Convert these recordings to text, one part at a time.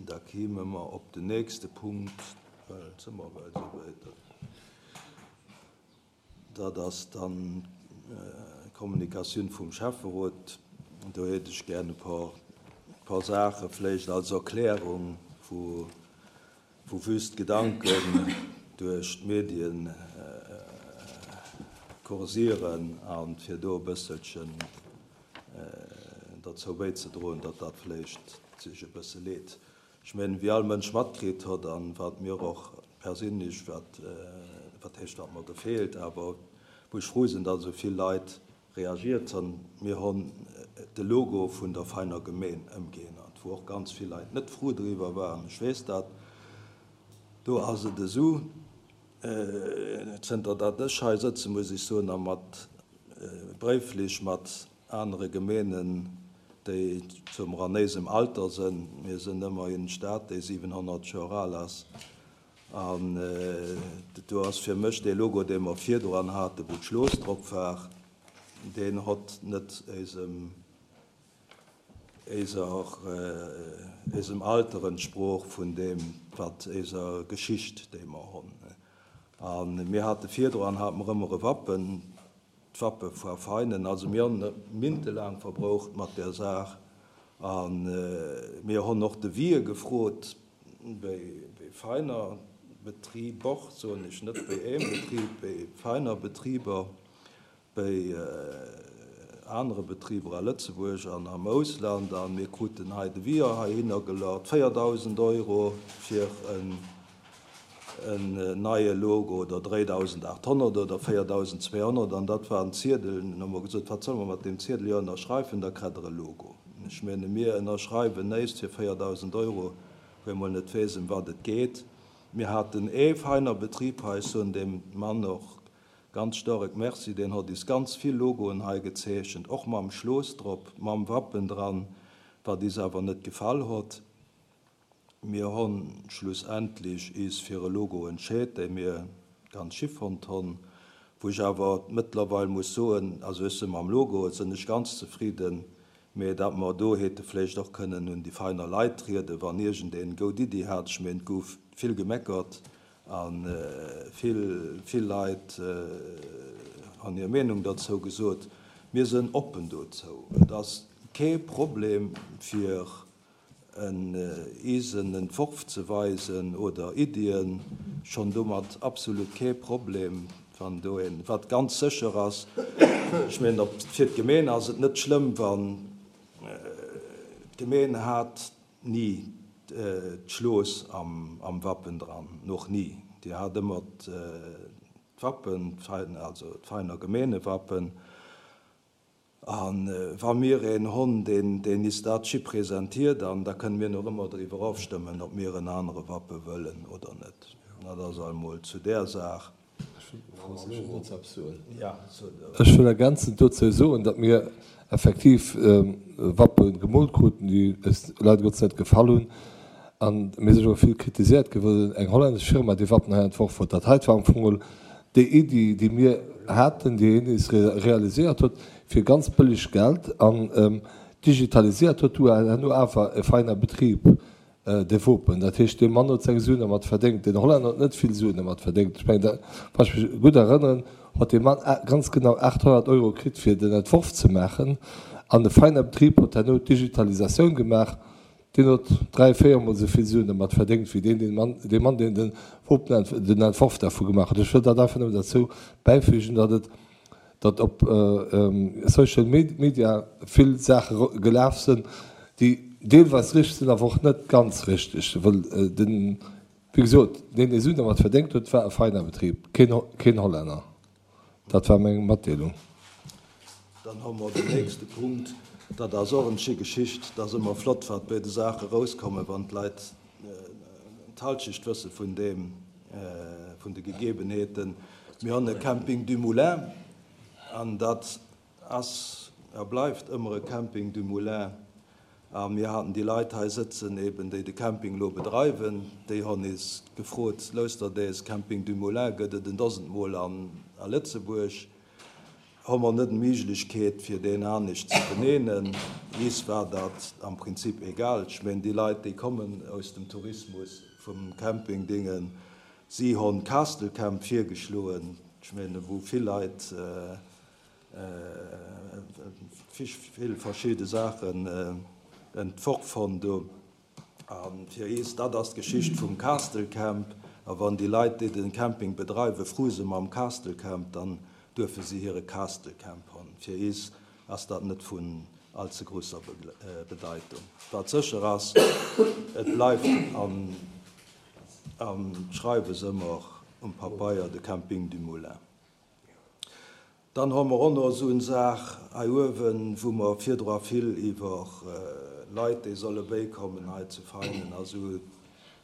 Da kéime mer op den nächste Punkt, well et si mer bal esouwäit. Dat ass dann d'Kommunikatioun vum Schäfferot. Do hätt ech gär e puer Saache vläicht als Erklärung, wou wüst Gedanken duerch d'Medien kursieren a fir do e bësselchen derzou bäizedroen, datt dat vläicht sech e bësse leet. Ech mengen, wéi all Mënsch matkritt hott an wat mir och perséinlech, wat, wat heescht wat mer gefeelt, awer wou ech frou sinn, datt esou vill Leit reagiert honn, mir honn de Logo vun der Veiner Gemeen ëmgeännert, wou och ganz vill Leit net frou driwwer waren, ech weess dat. Do ass et esou, zënter datt ech hei sëtzen, muss ech soen, a mat bréiflech mat anere Gemeenen, déi zum ranéisem Alter sënn, mir sënn ëmmerhin Stad, déi 700 Joer al ass, an do ass fir mech dee Logo, dee mer virdran haten, wou d'Schlooss drop war, deen hott net éisem, éiser, éisem Alter entsprooch vun deem, wat éiser Geschicht, déi mer honn. A mir hate virdran, hate mer ëmmer e Wappen, D'Wappe voar Feinen. Also mir honn mintelaang verbroucht mat där Saach a mir honn och de Vie gefrot béi Veiner Betriber, soen ech, net béi eem Betrib, béi Veiner Betriber, béi anere Betriber a Lëtzebuerg an am Ausland a mir kruten hei de Vie heihinner gelert, 4.000 Euro fir en en neie Logo oder 3.800 oder 4.200 an dat war en Ziedel. Dunn hu mer gesot, wat solle mer mat deem Ziedel? Jo, ënnerschreiwen, da kritt Der e Logo. Ech menge mir ënnerschreiwen néist fir 4.000 Euro, wou ee mol net weess, ëm wat et geet. Mir haten ee feiner Betrib hei, ech soen deem Mann och ganz staark Merci, deen hott is ganz vill Logoen hei gezeechent, och mam Schlooss drop, mam Wappen dran, wat is awer net gefall hott. Mir honn schlussendlich is fir e Logo entscheet, dee mir ganz schi fonnt honn, wou ech awer mëttlerweil muss soen, also ech sinn mam Logo sinn ech ganz zefridden, mee dat mer do hete vléicht och kënnen un déi feiner Leit trieden, wann iergendeen goud Iddi hat. Ech meen, et gouf vill gemeckert a vill, vill Leit honn hir Meenung derzou gesot. Mir sënn oppen dozou. Et ass kee Problem fir en eisen Entworf ze weisen oder Iddien, schonn domat absolut kee Problem, wann do een, wat ganz sécher ass, ech mengen op fir d'Gemeen ass et net schlëmm, wann d'Gemeen hat ni d'Schlooss am Wappen dran, noch ni, déi hat ëmmer d'Wappen, also d'Veiner Gemeenewappen. A wa mir een honn, deen is dat schi presentiert, an da kënne mir nach ëmmer driwwer ofstëmmen, ob mir en anere Wappe wëllen oder net. Dat ass almol zu där Saach. Ech wëll ergänzend dozou soen, datt mir effektiv Wappe gemoolt kruten, déi eis leider Gottes net gefall hunn. A mir sinn och vill kritiséiert ginn, well eng hollännesch Firma déi Wappen hei entworf huet. Dat heite war am Fong geholl déi Iddi, déi mir haten, déi een is realiséiert huet fir ganz bëlleg Geld an digitaliséiert huet, du herno awer e feiner Betrib de Wopen. Dat heescht, dee Mann huet seng Suen dermat verdéngt. Den Hollänner huet net vill Suen dermat verdéngt. Ech mengen, wann ech mech gutt erënneren, huet dee Mann ganz genau 800 Euro kritt, fir den Entworf ze maachen. An e feiner Betrib huet herno d'Digitalisatioun gemaach. Deen huet 3, 4 mol esou vill Suen dermat verdéngt wéi deen, deen Mann, dee Mann, deen den Wopen, den Entworf dervu gemaach huet. Ech wëll dat einfach nëmmen derzou bäifügen, datt et, datt op Social Media vill Saache gelaf sinn, déi deelweis richteg sinn, awer och net ganz richteg, well den, wéi gesot, deen, dee Suen dermat verdéngt huet, war e feiner Betrib, keen, keen Hollänner. Dat war meng Matdeelung. Dann hu mer den nächste Punkt. Dat ass och eng schéi Geschicht. Et ass ëmmer flott, wat bei de Saache erauskommen, wann d'Leit d'Halschecht wësse vun deem, vun de Gegebenheeten. Mir hunn e Camping du Moulin an dat ass a bleift ëmmer e Camping du Moulin. A mir haten déi Leit hei sëtzen, eben déi de Camping elo bedreiwen, déi honn is gefrot, Lousst der dees Camping du Moulin gëtt et en Dosend Mol an a Lëtzebuerg. Hu mer net d'Méiglechkeet fir deen anescht ze beneenen? Iis war dat am Prinzip egal. Ech meen déi Leit déi kommen aus dem Tourismus, vum Camping Dingen, si honn Castle Camp virgeschloen, ech meen wou vill Leit vill verschidde Saachen entworf honn do. A fir iis, dat ass d'Geschicht vum Castle Camp. A wann déi Leit, déi den Camping bedreiwen, fru se mam Castle Camp, dann duerfe si hire Castle Camp honn. Fir iis ass dat net vun all ze grousser Bedeitung. Wat sécher ass, et bleift am Schreiwes ëmmer um Papeier de Camping du Moulin. Dann hu mer och nach esou en Saach hei uewen, wou mer virdra vill iwwer Leit, déi solle béikommen hei zu Veinen a sou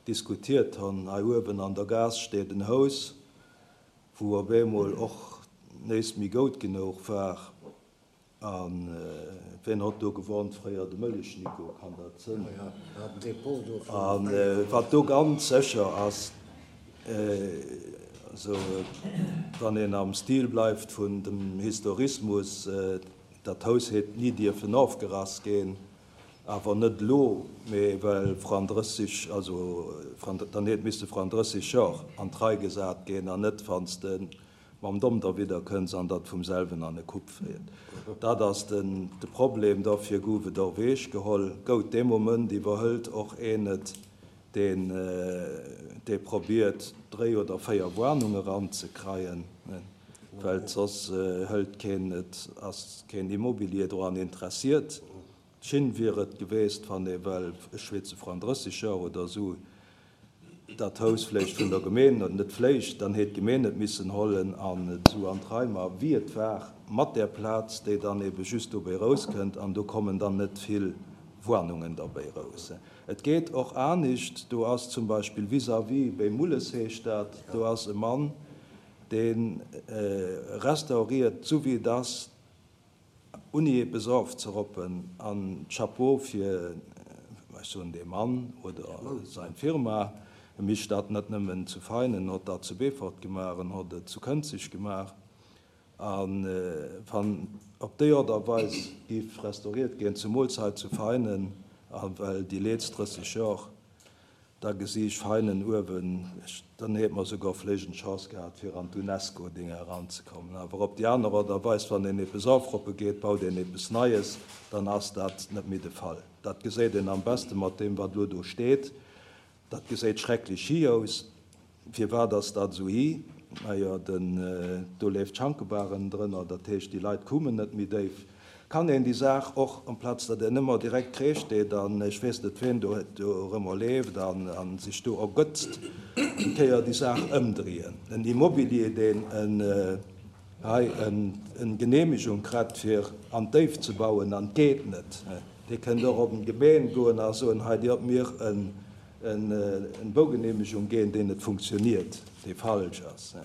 diskutiert hunn. Hei uewen an der Gaass steet en Haus, wou op eemol och néist méi goud genouch war. A ween hott do gewohnt fréier? De Mëllech Nico, kann dat sënn? A wat do ganz sécher ass, also wann een am Stil bleift vun dem Historismus, dat Haus hätt ni dierfen ofgerass ginn, awer net elo, mee well vran 30, also dann hätt misste vran 30 Jor an d'Rei gesat ginn an net wann s de mam Domm derwidder kënns an datt vum selwen an e Kupp féiert. Dat ass den de Problem. Derfir gouf et och Weech geholl. Gout, dee Moment iwwerhëlt och een et, deen dee probiert, dréi oder véier Warnunge eranzekreien, well soss hëlt keen et, ass keen Immobilier doran interessiert. Schin wier et geweest, wann ee well, ech schweetze vran 30 Joer oder esou, dat Haus vléicht vun der Gemeen, oder net vléicht, dann hätt d'Gemeen et missen hollen an et esou an d'Rei ma wéi et war, mat där Plaz, déi dann ebe just dobéi rouskënnt, an do kommen dann net vill Warnungen derbéi rous. Et geet och anischt, do ass zum Beispill vis-à-vis, béi Mulles heescht dat, do ass e Mann, dee restauriert, esou wéi et ass, Unni eppes ofzeroppen an Chapeau fir, ech soen dee Mann oder sein Firma, e micht dat net nëmmen zu Veinen, en hott dat zu Beefort gemaach, en hott et zu Kënzeg gemaach a wann op déi Ort a Weis giff restauriert ginn, zemools hei zu Veinen, a well déi leetzt 30 Jor Da gesi ech feinen uewen, dann hätt mer souguer vléicht eng Chance gehat fir an d'UNESCO-Dinger eranzekommen. Awer op déi aner Art a Weis, wann een eppes ofroppe geet, baut een eppes Neies, dann ass dat net méi de Fall. Dat geséit een am beste mat deem, wat elo do steet. Dat geséit schrecklech hi aus. Firwat ass dat esou hi? Majo, den, do leeft d'Schankebar ënnendrënner, dat heescht, déi Leit kumen net méi déif. Kann een déi Saach och, amplaz datt een ëmmer direkt Kreesch deet an ech weess net ween do dorëmmer leeft an sech do ergötzt, eng Kéier déi Saach ëmdrieen? En Immobilier, deen en hei en Genehmigung krett fir an d'Déift ze bauen an 't geet net, dee kënnt och op d'Gemeen goen a soen, hei Dir hutt mir en en Baugenehmegung ginn, deen net funktioniert, dee falsch ass.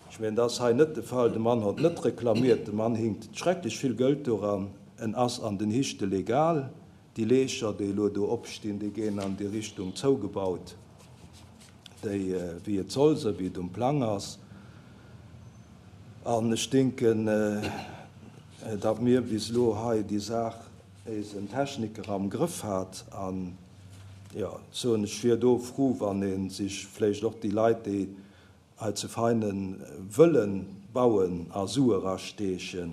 Ech mengen, dat ass hei net de Fall. De Mann hott net reklamiert, de Mann hinkt schrecklech vill Gëld doran, en ass an den Hichte legal. Déi Leecher, déi elo do opstinn, déi ginn an déi Richtung zougebaut, déi wéi et soll, esou wéi et um Plang ass. An ech denken, datt mir bis elo hei déi Saach éisen Techniker am Grëff hat an, jo, soen, ech wier do fru, wann ee sech vläicht och déi Leit, déi hei zu Veinen wëlle bauen, a Sue erasteechen,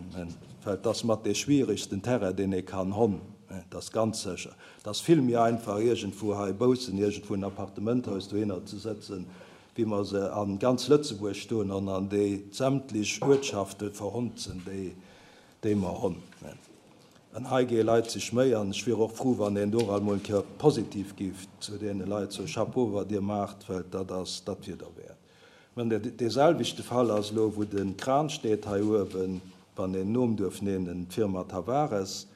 well et ass mat dee schwieregsten Terrain, deen ee kann honn, dat ass ganz sécher. Et ass vill méi einfach, iergendwou hei baussen iergendwou en Appartementhaus dohinner ze sëtzen, wéi mer se a ganz Lëtzebuerg stoen honn an déi sämtlech Uertschafte verhonzen, déi déi mer honn. An hei géi Leit sech Méi, an ech wier och fru wann een do alt mol eng Kéier positiv géif zu deene Leit soen, Chapeau wat Dir maacht, well dat ass, dat wier derwäert. Mä dee selwechte Fall ass elo wou de Kran steet hei uewen, wann een Nom duerf nennen, d'Firma Tavares,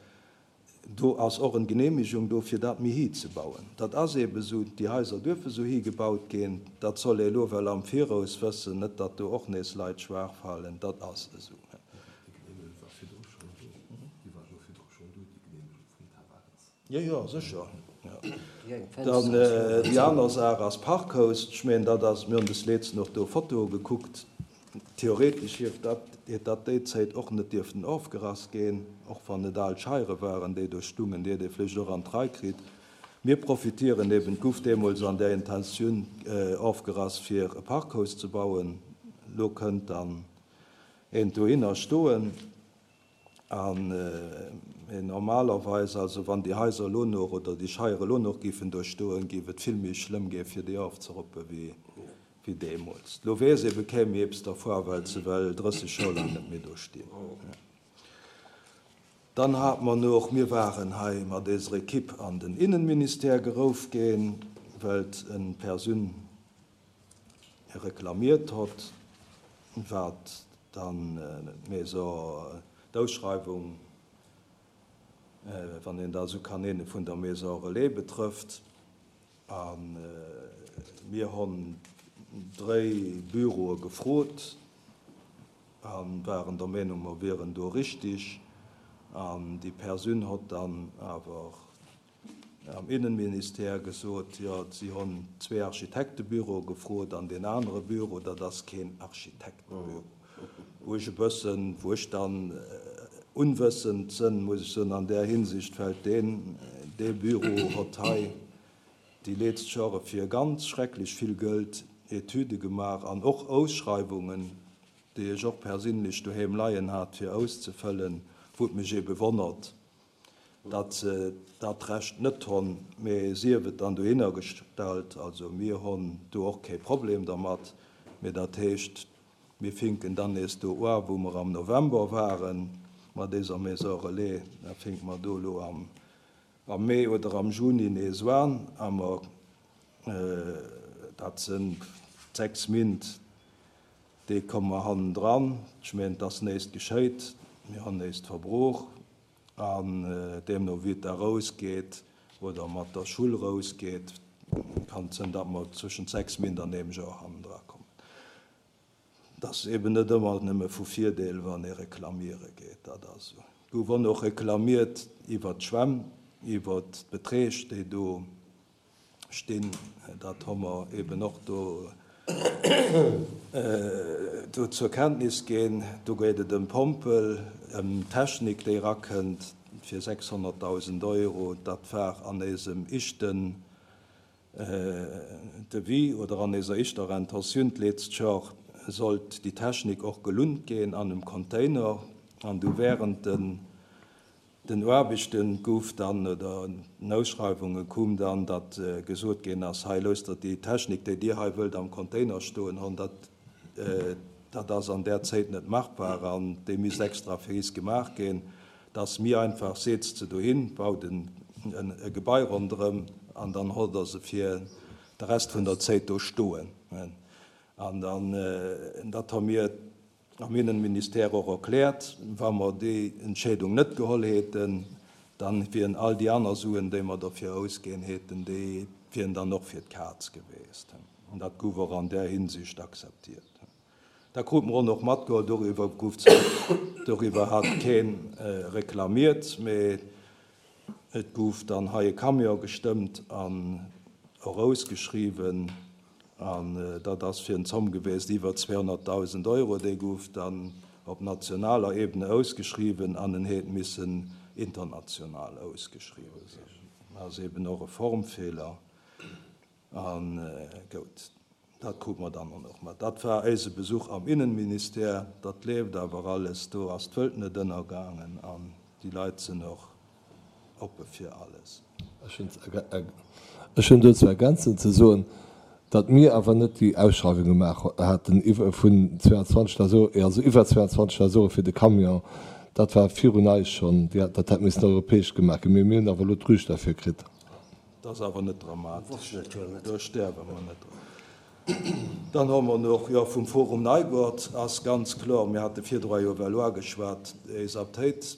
Do ass och en Genehmigung do fir dat méi hi ze bauen. Dat ass eebe sou, déi Haiser duerfe sou hi gebaut ginn. Dat soll ee elo well am Viraus wëssen, net datt do och nees Leit schwaach falen. Dat ass esou. Déi Genehmigung war virdru schonn do. Déi war jo virdru schonn do, déi Genehmigung vum Tavares. Jo, jo, sécher. Dann déi aner Saach ass Parkhaus. Ech mengen, dat ass, mir hunn des Leezen och do Fotoe gekuckt. Theoretesch hieft dat, hätt dat déi Zéit och net dierften ofgerass ginn, och wann et al Scheiere waren, déi do stungen, déi hätt ee vléicht och an d'Rei kritt. Mir profitieren eben, et gouf deemools an där Intentioun ofgerass, fir e Parkhaus ze bauen. Elo kënnt dann eent dohinner stoen. An normalerweis, also wann déi Haiser elo nach oder déi Scheiere elo nach géifen do stoen, géif et vill méi schlëmm gi fir déi ofzeroppe wéi deemools. Elo weess ee bekéim méi eppes dervua, well se well 30 Joer laang net méi do stinn. Dann hate mer noch, mir waren hei mat eiser Equipe an den Innenministère gerouf ginn, well et en Persun reklamiert hott, wat dann d'Maison, d'Ausschreiwung, wann een dat esou kann nennen, vun der Maison Relais betrëfft. A mir honn dréi Büroe gefrot a waren der Meenung, mer wieren do richtig. An déi Persun hott dann awer am Innenministère gesot, jo, si honn zwee Architektebüroe gefrot an deen anere Büro, dat ass keen Architektebüro. Wou ech e bëssen, wou ech dann unwëssend sënn, muss ech soen, an där Hinsicht, well deen, dee Büro hott hei déi leetzt Jore fir ganz schrecklech vill Gëld Etüde gemaach an och Ausschreiwungen, déi ech och persinnlech doheem leien hat fir auszefëllen, wou et mech ebe wonnert, datt se dat Recht net honn, mee sief et dann dohinner gestallt. Also mir honn do och kee Problem dermat, mee dat heescht, mir finken dann nees do ua wou mer am November ware mat éiser Maison relais, da finke mer do elo am Mee oder am Juni nees uan a mer, dat sënn 6 Mint, déi komme mer hannendran. Ech meen, et ass néist geschéit, mir honn néist Verbrauch. An deemno wéi et da rausgeet oder mat der Schull rausgeet, kann et sënn, datt mer zwëschent 6 Mint an eem Joer hannendra kommen. Et ass eben net ëmmer nëmme vu Virdeel, wann ee reklamiere geet. Dat ass esou. Et gouf och nach reklamiert iwwert d'Schwämm, iwwert d'Beträg, déi do stinn, dat hu mer eben och do do zur Kenntnis ginn. Do geet et ëm Pompel, ëm Technik, déi erakënnt fir 600.000 Euro. Dat war an éisem ischten Devis oder an éiser ischter Intentioun d'leetzt Jor sollt déi Technik och gelunnt ginn an em Container an du während den Den Aarbechten gouf dann, oder den Ausschreiwunge koum dann, datt gesot ginn ass, hei loosst der déi Technik, déi Dir hei wëllt am Container stoen hunn, dat, dat ass an där Zéit net machbar an déi misst extra fir is gemaach ginn. Et ass méi einfach, seetzt se dohin, baut e Gebai ronderëm an dann hott der se fir de Rest vun der Zéit do stoen. An dann, dat hu mir Am Innenministère och erkläert, wa mer déi Entscheedung net geholl häten, dann wieren all déi aner Suen, déi mer derfir ausginn häten, déi wieren dann och fir d'Kaz geweest. An dat gouf och an där Hinsicht akzeptiert. Da krute mer och nach matgeholl, doriwwer gouf zwar, doriwwer hat kee reklamiert, mee Et gouf dann hei e Camion gestëmmt an och ausgeschriwwen, an dat ass fir en Zomm gewiesst iwwer 200.000 Euro. Dee gouf dann op nationaler Ebene ausgeschriwwen an en hätt missen international ausgeschriwwen sinn. Dat ass eben och e Formfeeler. A gout, dat krute mer dann och mat. Dat war éise Besuch am Innenministère. Dat leeft awer alles, do ass d'Wëlt net ënnergaangen an déi Leit sinn och oppe fir alles. Ech hunn dozou ergänzend ze soen, datt mir awer net déi Ausschreiwung gemaach haten vun 220.000, also iwwer 220.000 Euro fir de Camion. Dat war virun eis schonn, dat hätt missen europäesch gemaach ginn. Mee mir hunn awer elo d'Rüscht derfir kritt. Dat ass awer net dramatesch, do stäerwe mer net drun. Dann hu mer nach, jo, vum Forum Neigoart ass ganz kloer, mir hate virdru jo iwwer Loi geschwat, déi Saptéit,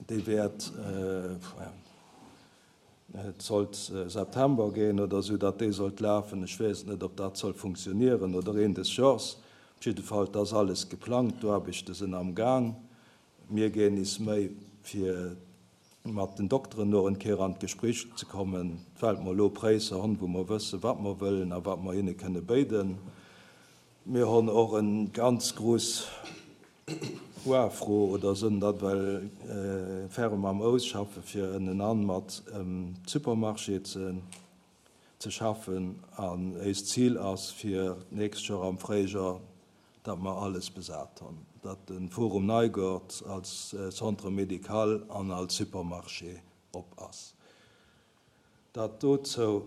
déi wäert, et sollt September ginn oder esou, datt déi sollt lafen. Ech weess et net, ob dat soll funktionieren oder een des Jors. Op jidde Fall, et ass alles geplangt, d'Aarbechte sinn amgaang. Mir ginn is Méi fir mat den Dokteren no en Kéier an d'Gespréich ze kommen, well mer elo Präisser honn, wou mer wëssen, wat mer wëllen a wat mer hinne kënne béiden. Mir honn och en ganz gruss Uafro oder sënn dat well ferrem am Ausschaffe fir ënnenan mat em Supermarché ze ze schaffen an éist Zil ass fir d'nächst Joer am Fréijoer, datt mer alles besat honn, datt de Forum Neigort als Centre médical an als Supermarché op ass. Dat dozou.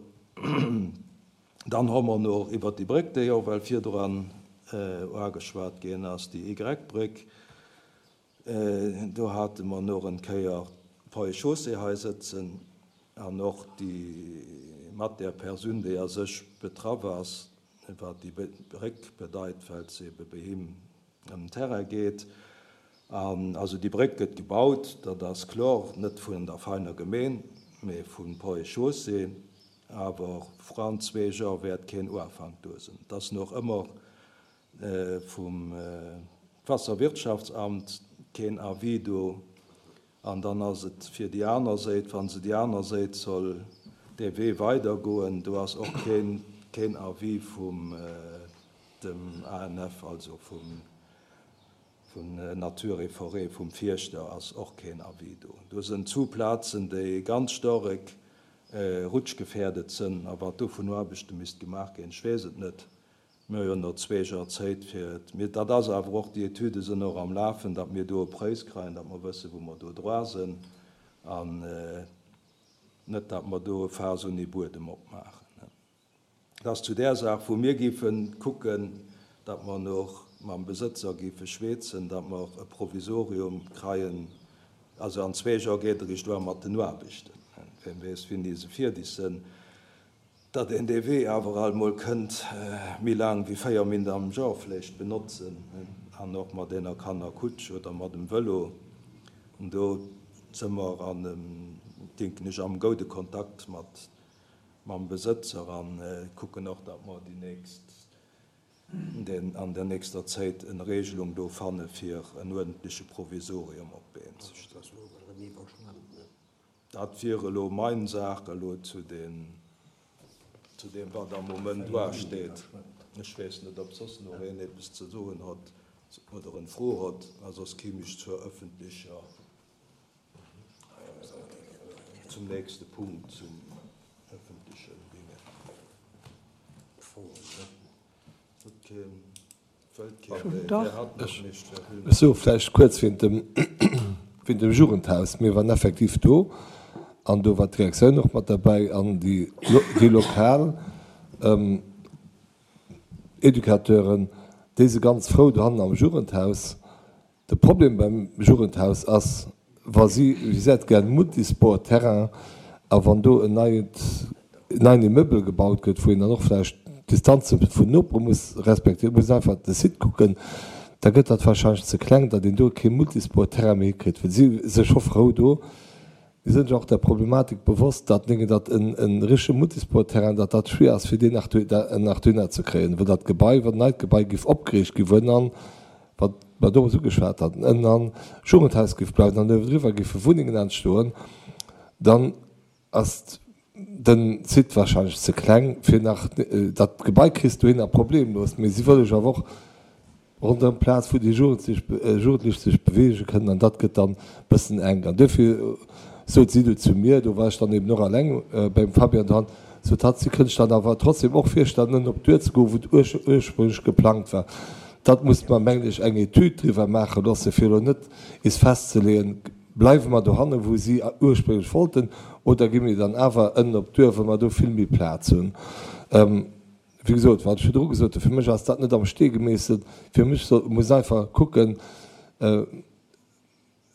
Dann hu mer nach iwwert déi Bréck, déi och well virdran uageschwat ginn ass, déi Y-Bréck, do hate mer nach en Kéier d'Ponts et Chaussées hei sëtzen an och déi mat där Persoun, déi a sech betraff ass, wat déi Bréck bedeit, well se ebe bei him ëm den Terrain geet. An also déi Bréck gëtt gebaut, dat ass klor, net vun der Veiner Gemeen, mee vun Ponts et Chaussées. Awer vran zwee Jor wäert keen Uafank do sinn. Et ass noch ëmmer vum Wasserwirtschaftsamt keen Avis do. An dann ass et fir déi aner Séit, wa se déi aner Séit soll dee Wee weidergoen, do ass och keen keen Avis vum dem ANF, also vum vun Nature et Forêt, vum Fierschter ass och keen Avis do. Do sënn zu Plazen, déi ganz storek rutschgefährdet sënn a wat do vun Aarbechte misst gemaach ginn, ech weess et net. Mir hu jo no zwee Joer Zéit fir et. Mir, dat ass awer och, déi Etüde sënn och am Lafen, datt mir do e Prëis kreien, datt mer wëssen, wou mer do droa sënn an net, datt mer do e Faass ouni Buedem opmaachen. Dat ass zu där Saach, wou mir géife kucken, datt mer no mam Besëtzer géife schweezen, datt mer e Provisorium kreien. Also an zwee Joer geet eréischt uan mat den Aarbechten. Wien weess, wéini se fierdeg sënn. Datt een dee Wee awer alt mol kënnt méi laang wéi 4 Minute am Joer vläicht benotzen, an och mat eener Kannerkutsch oder mat em Vëlo. Do së mer an em, denken ech, am goude Kontakt mat mam Besëtzer an kucken och, datt mer déi nächst, an der nächster Zéit en Regelung do fanne fir en uerdentleche Provisorium op d'Been ze stellen. Dat wier elo mein Saach elo zu deem, wat am Moment uasteet. Ech weess net, ob soss nach een eppes ze soen hott oder en Fro hott, a soss kimm ech zur öffentlecher, zum nächste Punkt, zum öffentlechen Dingen. Huet keen. Ech soe vläicht kuerz wéint dem, wéint dem Jugendhaus. Mir waren effektiv do an do war d'Direktioun och mat derbäi an déi, déi lokal Educateuren, déi si ganz frou dohannen am Jugendhaus. De Problem beim Jugendhaus ass, wa si, si hätt gär en Multisport-Terrain, a wann do en neit, en neien Immeuble gebaut gëtt, wou een dann och vläicht d'Distanze vun Nopere muss respektéieren, muss een einfach de Site kucken, da gëtt dat wahrscheinlech ze kleng, datt een do kee Multisport-Terrain méi hikritt. Well si si scho frou do. Mir sinn sech och der Problematik bewosst, datt néngen datt en e richtege Multisport-Terrain, datt dat schwier ass fir deen nach nach dohinner ze kréien, well dat Gebai, wann neit Gebai géif opgeriicht gi wou ënnan, wat mer domat ugeschwat haten, ënnan Jugendhaus géif bleiwen an uewendriwwer géife Wunnengen entstoen, dann ass den Site wahrscheinlech ze kleng fir nach dat Gebai kriss dohinner problemlos, mee si wëlle jo awer och Ronderëm d'Plaz, wou déi Jugendlech sech beweege kënnen, an dat gëtt dann e bëssen enk. An duerfir sot si du zu mir, do war ech dann eben och alleng beim Fabian dran, sot hatt, si kënnt sech dat awer trotzdem och virstellen, ënnen op d'Duer ze goen, wou et ursprünglech geplangt war. Dat muss mer, mengen ech, eng Etüd driwwer maache loosse, fir elo net is festzeleeën, bleiwe mer dohanne wou si ursprünglech wollten, oder gi mir dann awer ënnen op d'Duer, well mer do vill méi Plaz hunn. Wéi gesot, wat ech virdru gesot hunn, fir mech ass dat net am Stee gemeesselt. Fir mech soll, muss einfach kucken,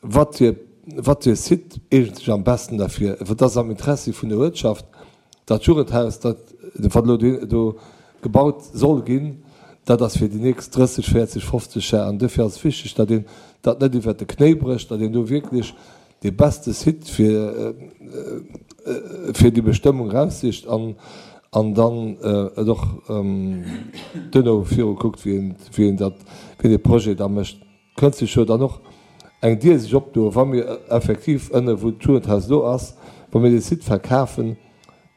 wat fir, wat fir Site eegent sech am besten derfir. Wat ass am Interessi vun der Uertschaft? Dat Jugendhaus, dat, wat elo do, do gebaut soll ginn, dat ass fir déi nächst 30, 40, 50 Jar. An duerfir ass et wichteg, datt een dat net iwwert de Knéi brécht, datt een do wierklech dee beste Site fir fir déi Bestëmmung eraussicht an an dann et och duerno viru kuckt, wéi een wéi een dat wéi een dee Projet da mécht. Kënnt sech jo dann och eng Dier sech opdoen, wa mir effektiv ënne wou d'Jugendhaus elo ass, wa mir dee Site verkafen,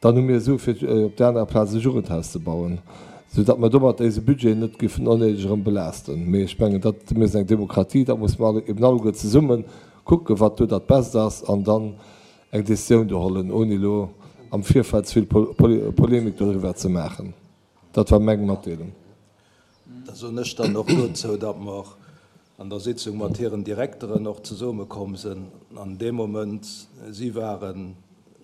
dann hu mir Sue fir op där anerer Plaz e Jugendhaus ze bauen. Sou datt mer domat éise Budget net géifen onnéideg erëm belaasten. Mee ech mengen, dat, mir sinn eng Demokratie, da musse mer alle, eben alleguer zesumme kucken, wat do dat Best ass an dann eng Décisioun do hollen, ouni elo am Virfeld ze vill Polemik doriwwer ze maachen. Dat war meng Matdeelung. Da soen ech dann och dozou, datt mer an der Sitzung mat hiren Direkteren och zesumme komm sinn an deem Moment, si waren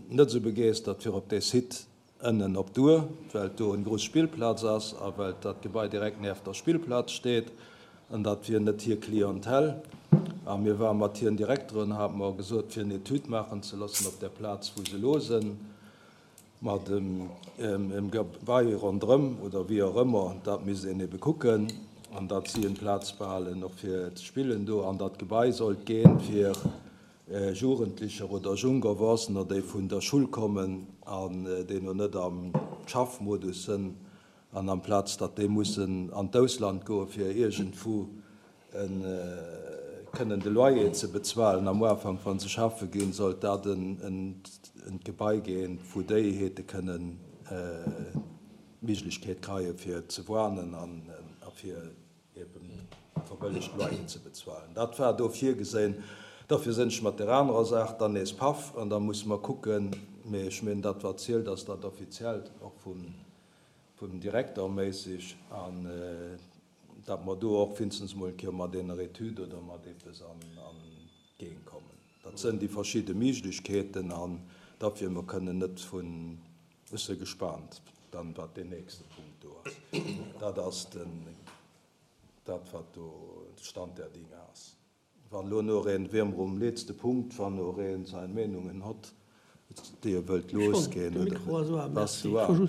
net esou begeestert fir op dee Site ënnen op d'Our, well do en grouss Spillplaz ass a well dat Gebai direkt nieft der Spillplaz steet an dat wier net hir Clientèle. A mir ware mat hiren Direkteren, hate mer gesot, fir en Etüd maachen ze loossen op där Plaz, wou se elo sinn, mat em Gebai ronderëm oder wéi och ëmmer, dat misst een ebe kucken, an datt si en Plaz behalen och fir ze spillen do an dat Gebai sollt ginn, fir Jugendlicher oder jung Erwuessener, déi vun der Schull kommen an déi no net am Schaffmodus sënn, an amplaz datt déi mussen an d'Ausland goe fir iergendwou kënnen de Loyer ze bezuelen am Ufank, wa se schaffe ginn, sollt dat en Gebai ginn, wou déi hete kënnen d'Méiglechkeet kreie fir ze woanen a fir eben verbëllegt Loyer ze bezuelen. Dat war do virgesinn. Dofir sinn ech mat där anerer Saach dann nees paff an da musse mer kucken. Mee ech mengen, dat wat zielt, ass dat Offiziellt, och vum Direkter méisseg, an datt mer do och wéinstens emol eng Kéier mat ener Etüd oder mat eppes an d'Géigend kommen. Dat sënn déi verschidde Méiglechkeeten an dofir, mer kënnen net vun, Ech se gespaant dann wat deen nächste Punkt do ass. Dat ass den, dat wat do de Stand der Dinge ass. Wann elo no een, wir um letzte Punkt, wann no een sein Meenungen hott, déi e wëllt losginn, oder? Bass du an?